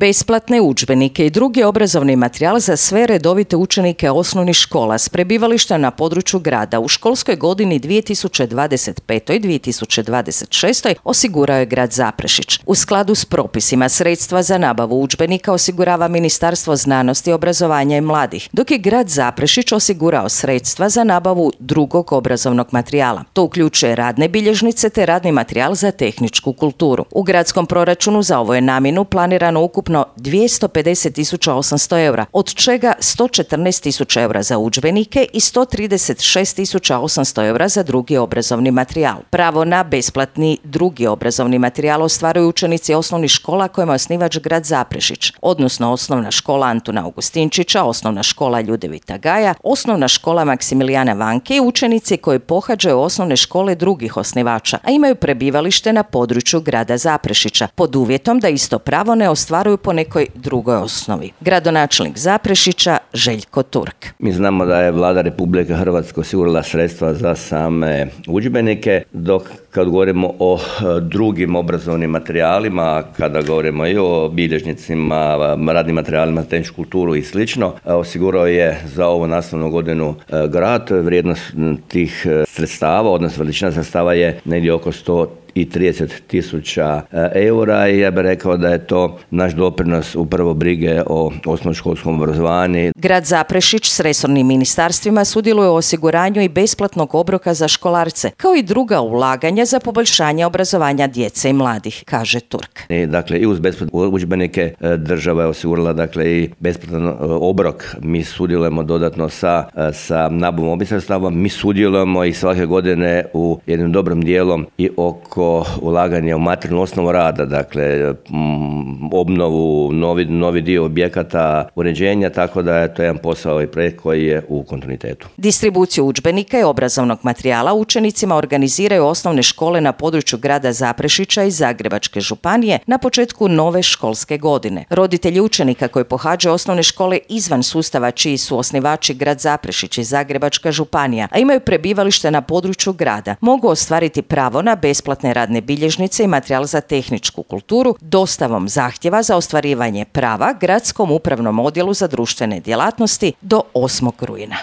Besplatne udžbenike i drugi obrazovni materijal za sve redovite učenike osnovnih škola s prebivalištem na području grada u školskoj godini 2025-2026 osigurao je grad Zaprešić. U skladu s propisima sredstva za nabavu udžbenika osigurava Ministarstvo znanosti, obrazovanja i mladih, dok je grad Zaprešić osigurao sredstva za nabavu drugog obrazovnog materijala. To uključuje radne bilježnice te radni materijal za tehničku kulturu. U gradskom proračunu za ovu je namjenu planirano ukupno 250.800 eura, od čega 114.000 eura za udžbenike i 136.800 eura za drugi obrazovni materijal. Pravo na besplatni drugi obrazovni materijal ostvaruju učenici osnovnih škola kojima je osnivač grad Zaprešić, odnosno osnovna škola Antuna Augustinčića, osnovna škola Ljudevita Gaja, osnovna škola Maksimilijana Vanke i učenici koji pohađaju osnovne škole drugih osnivača, a imaju prebivalište na području grada Zaprešića, pod uvjetom da isto pravo ne ostvaruju po nekoj drugoj osnovi. Gradonačelnik Zaprešića Željko Turk. Mi znamo da je Vlada Republike Hrvatske osigurala sredstva za same udžbenike, dok kad govorimo o drugim obrazovnim materijalima, kada govorimo i o bilježnicima, radnim materijalima, tehničku kulturu i slično, osigurao je za ovu nastavnu godinu grad. Vrijednost tih sredstava, odnosno veličina sredstava je negdje oko 130.000 eura i ja bih rekao da je to naš doprinos upravo brige o osnovnoškolskom obrazovanju. Grad Zaprešić s resornim ministarstvima sudjeluje u osiguranju i besplatnog obroka za školarce, kao i druga ulaganja za poboljšanje obrazovanja djece i mladih, kaže Turk. Dakle, i uz besplatne udžbenike država je osigurala i besplatan obrok. Mi sudjelujemo dodatno sa nabavom ovih sredstava. Mi sudjelujemo i svake godine u jednom dobrom dijelom i oko ulaganja u materijalnu osnovu rada, dakle obnovu, novi dio objekata, uređenja, tako da je to jedan posao i projekt koji je u kontinuitetu. Distribuciju udžbenika i obrazovnog materijala učenicima organiziraju osnovne škole na području grada Zaprešića i Zagrebačke županije na početku nove školske godine. Roditelji učenika koji pohađaju osnovne škole izvan sustava čiji su osnivači grad Zaprešić i Zagrebačka županija, a imaju prebivalište na području grada, mogu ostvariti pravo na besplatne radne bilježnice i materijal za tehničku kulturu dostavom zahtjeva za ostvarivanje prava Gradskom upravnom odjelu za društvene djelatnosti do 8. rujna.